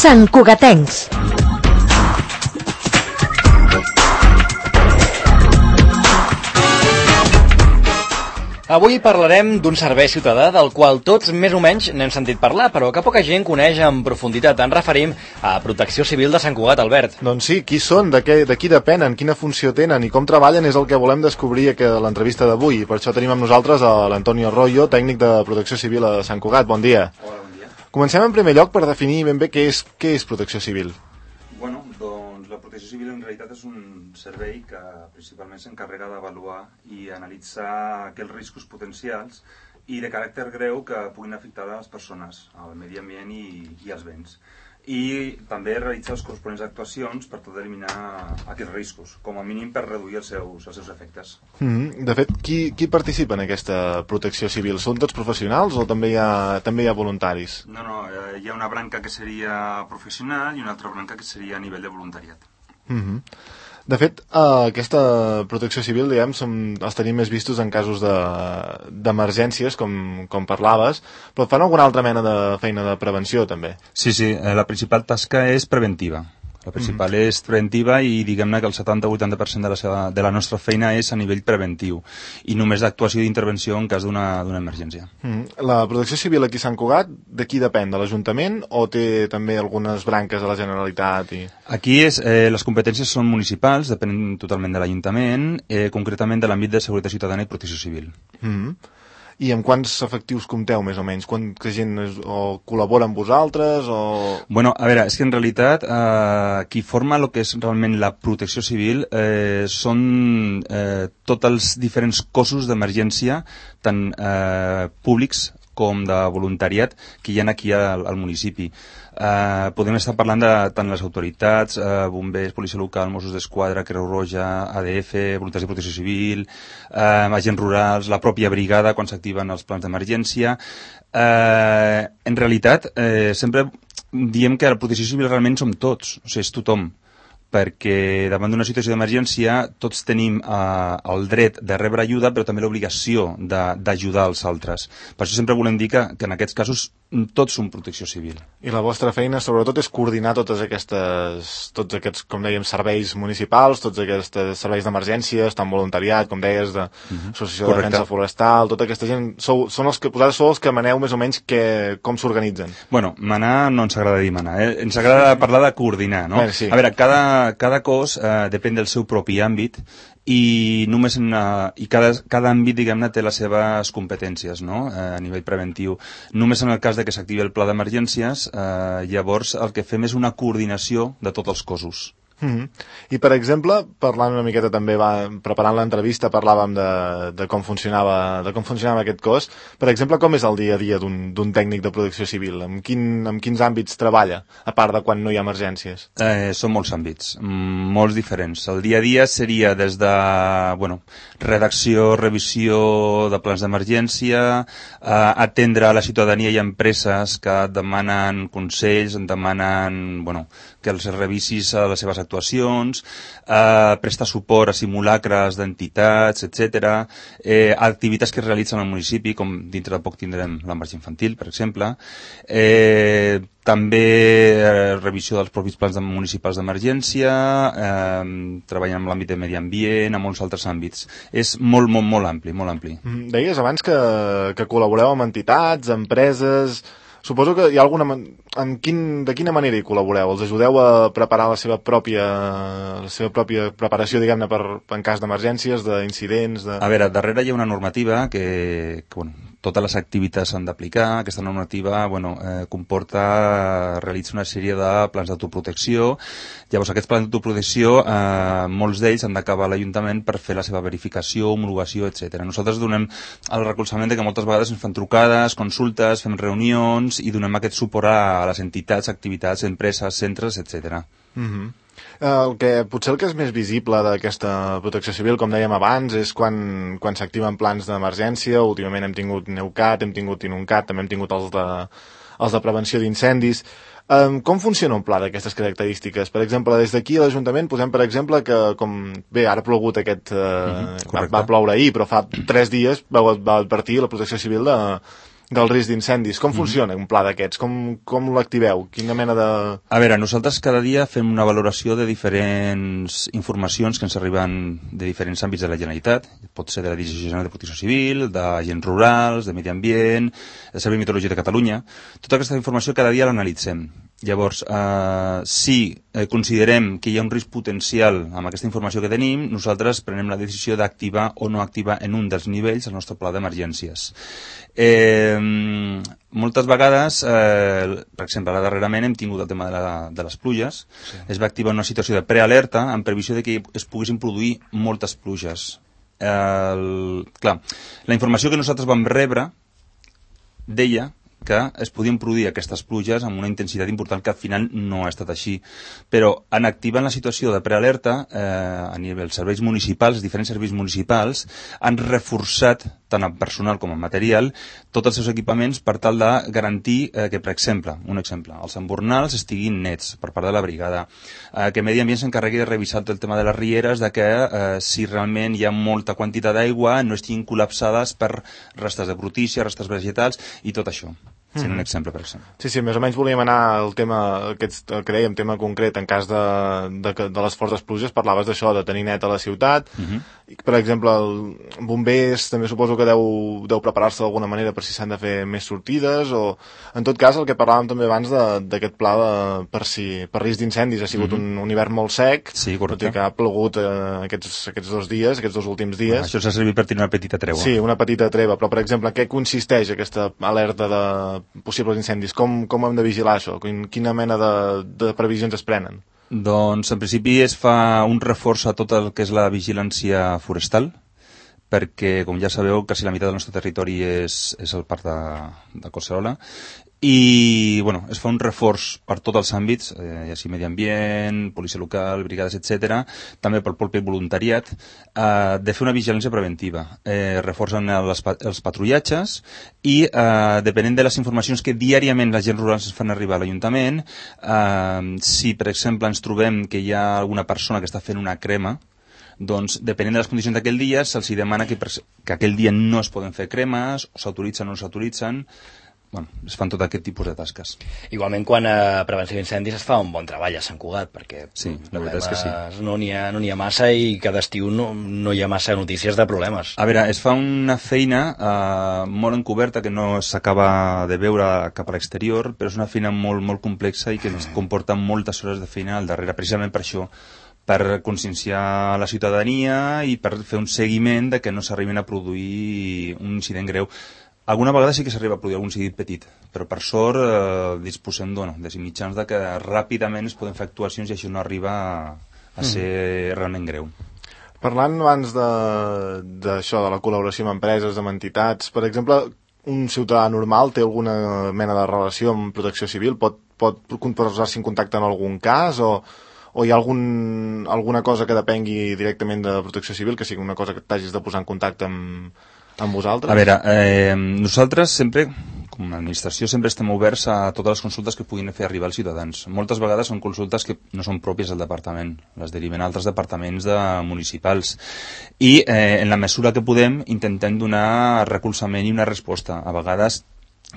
Sant Cugatencs. Avui parlarem d'un servei ciutadà del qual tots més o menys n'hem sentit parlar, però que poca gent coneix en profunditat. Ens referim a Protecció Civil de Sant Cugat, Albert. Doncs sí, qui són, de qui depenen, quina funció tenen i com treballen és el que volem descobrir a l'entrevista d'avui. Per això tenim amb nosaltres l'Antonio Arroyo, tècnic de Protecció Civil a Sant Cugat. Bon dia. Hola, bon dia. Comencem en primer lloc per definir ben bé què és Protecció Civil. Bueno, doncs la Protecció Civil en realitat és un servei que principalment s'encarrega d'avaluar i analitzar aquells riscos potencials i de caràcter greu que puguin afectar a les persones, al medi ambient i als béns. I també realitzar les corresponents actuacions per tal d'eliminar aquests riscos, com a mínim per reduir els seus efectes. De fet, qui participa en aquesta protecció civil? Són tots professionals o també hi ha voluntaris? No, hi ha una branca que seria professional i una altra branca que seria a nivell de voluntariat. De fet, aquesta protecció civil, diguem, els tenim més vistos en casos d'emergències, com parlaves, però fan alguna altra mena de feina de prevenció, també? Sí, la principal tasca és preventiva. La principal és preventiva i diguem-ne que el 70-80% de la nostra feina és a nivell preventiu i només d'actuació i d'intervenció en cas d'una emergència. La protecció civil aquí a Sant Cugat, de qui depèn? De l'Ajuntament o té també algunes branques de la Generalitat? Aquí les competències són municipals, depenen totalment de l'Ajuntament, concretament de l'àmbit de seguretat ciutadana i protecció civil. I amb quants efectius compteu, més o menys? Quanta gent col·labora amb vosaltres? Bueno, a veure, és que en realitat qui forma el que és realment la protecció civil són tots els diferents cossos d'emergència, tant públics com de voluntariat que hi ha aquí al municipi. Podem estar parlant de tant les autoritats, bombers, policia local, Mossos d'Esquadra, Creu Roja, ADF, voluntaris de protecció civil, agents rurals, la pròpia brigada quan s'activen els plans d'emergència. En realitat, sempre diem que la protecció civil realment som tots, o sigui, és tothom, perquè davant d'una situació d'emergència tots tenim el dret de rebre ajuda però també l'obligació d'ajudar els altres. Per això sempre volem dir que en aquests casos tots som protecció civil. I la vostra feina sobretot és coordinar tots aquests, com dèiem, serveis municipals, tots aquests serveis d'emergències, tant voluntariat, com deies, d'Associació de Defensa Forestal, tota aquesta gent, vosaltres sou els que maneu més o menys com s'organitzen? Bueno, manar no ens agrada dir manar, ens agrada parlar de coordinar, no? Sí. A veure, cada cos depèn del seu propi àmbit i cada àmbit, diguem-ne, té les seves competències, no? A nivell preventiu. Només en el cas de que s'activi el pla d'emergències, llavors el que fem és una coordinació de tots els cossos. I, per exemple, parlant una miqueta també, preparant l'entrevista, parlàvem de com funcionava aquest cos. Per exemple, com és el dia a dia d'un tècnic de protecció civil? Amb quins àmbits treballa, a part de quan no hi ha emergències? Són molts àmbits, molts diferents. El dia a dia seria des de redacció, revisió de plans d'emergència, atendre a la ciutadania i empreses que et demanen consells, et demanen que els revisis a les seves actuacions, prestar suport a simulacres d'entitats, etc. Activitats que es realitzen al municipi, com dintre de poc tindrem la marxa infantil, per exemple. També revisió dels propis plans municipals d'emergència, treballant en l'àmbit de medi ambient, en molts altres àmbits. És molt ampli, molt ampli. Deies abans que col·laboreu amb entitats, empreses. Suposo que hi ha alguna... De quina manera hi col·laboreu? Els ajudeu a preparar la seva pròpia preparació, diguem-ne, en cas d'emergències, d'incidents... A veure, darrere hi ha una normativa que totes les activitats s'han d'aplicar. Aquesta normativa comporta realitzar una sèrie de plans d'autoprotecció. Llavors, aquests plans d'autoprotecció, molts d'ells han d'acabar a l'Ajuntament per fer la seva verificació, homologació, etc. Nosaltres donem el recolzament que moltes vegades ens fan trucades, consultes, fem reunions i donem aquest suport a les entitats, activitats, empreses, centres, etc. Potser el que és més visible d'aquesta protecció civil, com dèiem abans, és quan s'activen plans d'emergència. Últimament hem tingut Neucat, hem tingut Inuncat, també hem tingut els de prevenció d'incendis. Com funciona un pla d'aquestes característiques? Per exemple, des d'aquí a l'Ajuntament posem, per exemple, que ara ha plogut va ploure ahir, però fa 3 dies va advertir la Protecció Civil del risc d'incendis. Com funciona un pla d'aquests? Com l'activeu? Quina mena de... A veure, nosaltres cada dia fem una valoració de diferents informacions que ens arriben de diferents àmbits de la Generalitat. Pot ser de la Direcció General de Protecció Civil, d'agents rurals, de medi ambient, del Servei Meteorològic de Catalunya. Tota aquesta informació cada dia l'analitzem. Llavors, si considerem que hi ha un risc potencial amb aquesta informació que tenim, nosaltres prenem la decisió d'activar o no activar en un dels nivells el nostre pla d'emergències. Moltes vegades, per exemple, ara darrerament hem tingut el tema de les pluges. Sí. Es va activar una situació de prealerta en previsió de que es poguessin produir moltes pluges. Clar, la informació que nosaltres vam rebre deia que es podien produir aquestes pluges amb una intensitat important que al final no ha estat així. Però en activant la situació de prealerta, a nivell dels serveis municipals, diferents serveis municipals, han reforçat, tant en personal com en material, tots els seus equipaments per tal de garantir que, per exemple, els embornals estiguin nets per part de la brigada, que Medi Ambient s'encarregui de revisar el tema de les rieres, de que si realment hi ha molta quantitat d'aigua no estiguin col·lapsades per restes de brutícia, restes vegetals i tot això. Sent un exemple, per exemple. Sí, més o menys volíem anar al tema, el que dèiem, tema concret, en cas de les fortes pluges, parlaves d'això, de tenir net a la ciutat, i, per exemple, bombers també suposo que deu preparar-se d'alguna manera per si s'han de fer més sortides, o, en tot cas, el que parlàvem també abans d'aquest pla per risc d'incendis, ha sigut un hivern molt sec, sí, correcte, que ha plogut aquests 2 dies, aquests 2 últims dies. Això s'ha servit per tenir una petita treva. Sí, una petita treva, però, per exemple, en què consisteix aquesta alerta de possibles incendis? Com hem de vigilar això? Quina mena de previsions es prenen? Doncs, en principi, es fa un reforç a tot el que és la vigilància forestal, perquè, com ja sabeu, quasi la meitat del nostre territori és el parc de Collserola, i bueno, es fa un reforç per tots els àmbits, ja sigui medi ambient, policia local, brigades, etc., també pel propi voluntariat, de fer una vigilància preventiva. Reforcen els patrullatges i, depenent de les informacions que diàriament la gent rural ens fan arribar a l'Ajuntament, si, per exemple, ens trobem que hi ha alguna persona que està fent una crema, doncs, depenent de les condicions d'aquell dia, se'ls demana que aquell dia no es poden fer cremes, o s'autoritzen o no s'autoritzen. Bueno, es fan tot aquest tipus de tasques. Igualment, quan a prevenció d'incendis es fa un bon treball a Sant Cugat, perquè sí, la veritat és que sí. No n'hi ha massa i cada estiu no hi ha massa notícies de problemes. A veure, es fa una feina molt encoberta que no s'acaba de veure cap a l'exterior, però és una feina molt, molt complexa i que ens comporta moltes hores de feina al darrere, precisament per això, per conscienciar la ciutadania i per fer un seguiment de que no s'arribin a produir un incident greu. Alguna vegada sí que s'arriba a produir algun incident petit, però per sort disposem de mitjans de que ràpidament es poden fer actuacions i això no arriba a ser realment greu. Parlant abans d'això, de la col·laboració amb empreses, amb entitats, per exemple, un ciutadà normal té alguna mena de relació amb Protecció Civil? Pot posar-se en contacte en algun cas o hi ha alguna cosa que depengui directament de Protecció Civil, que sigui una cosa que t'hagis de posar en contacte amb vosaltres? A veure, nosaltres sempre, com a administració, sempre estem oberts a totes les consultes que puguin fer arribar als ciutadans. Moltes vegades són consultes que no són pròpies del departament, les deriven a altres departaments municipals. I, en la mesura que podem, intentem donar recolzament i una resposta. A vegades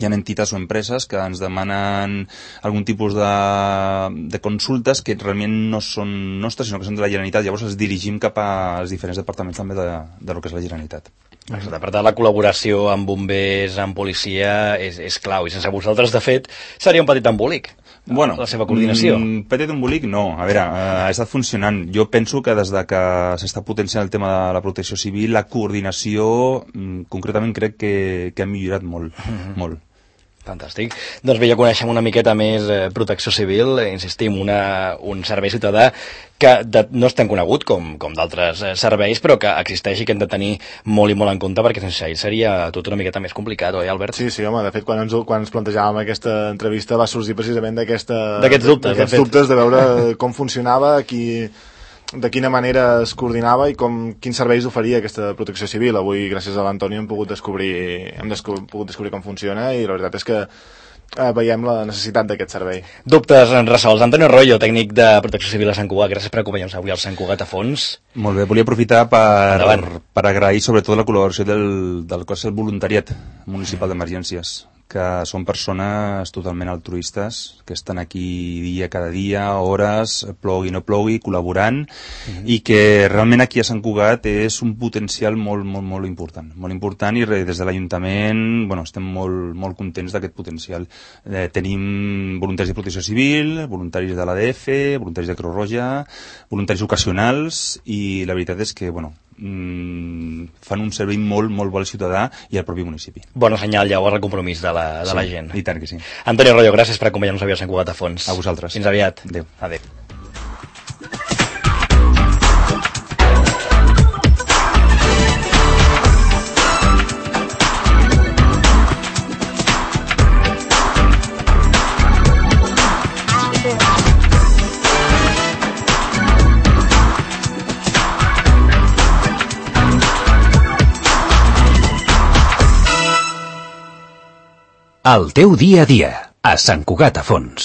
hi ha entitats o empreses que ens demanen algun tipus de consultes que realment no són nostres, sinó que són de la Generalitat. Llavors els dirigim cap als diferents departaments també de lo que és la Generalitat. Exacte, per tant, la col·laboració amb bombers, amb policia, és clau. I sense vosaltres, de fet, seria un petit embolic. Bueno, la seva coordinació. Petit embolic no, a veure, ha estat funcionant. Jo penso que des de que s'està potenciant el tema de la protecció civil, la coordinació, concretament crec que ha millorat molt, molt. Fantàstic. Doncs bé, ja coneixem una miqueta més Protecció Civil, insistim, un servei ciutadà que no és tan conegut com d'altres serveis, però que existeix i que hem de tenir molt i molt en compte, perquè sense ell seria tot una miqueta més complicat, oi, Albert? Sí, home, de fet, quan ens plantejàvem aquesta entrevista va sorgir precisament d'aquests dubtes de veure com funcionava, de quina manera es coordinava i quins serveis oferia aquesta Protecció Civil. Avui, gràcies a l'Antoni, hem pogut descobrir com funciona, i la veritat és que veiem la necessitat d'aquest servei. Dubtes resolts. Antonio Arroyo, tècnic de Protecció Civil a Sant Cugat, gràcies per acompanyar-nos avui al Sant Cugat a fons. Molt bé, volia aprofitar per agrair sobretot la col·laboració del cos del voluntariat municipal d'emergències, que són persones totalment altruistes, que estan aquí cada dia, hores, plogui o no plogui, col·laborant, i que realment aquí a Sant Cugat és un potencial molt important, i des de l'Ajuntament estem molt contents d'aquest potencial. Tenim voluntaris de Protecció Civil, voluntaris de l'ADF, voluntaris de Creu Roja, voluntaris ocasionals, i la veritat és que fan un servei molt bo al ciutadà i al propi municipi. Bona senyal, llavors, el compromís de la gent. I tant que sí. Antonio Arroyo, gràcies per acompanyar-nos avui al Sant Cugat a fons. A vosaltres. Fins aviat. Adéu. Adéu. El teu dia a dia, a Sant Cugat a Fons.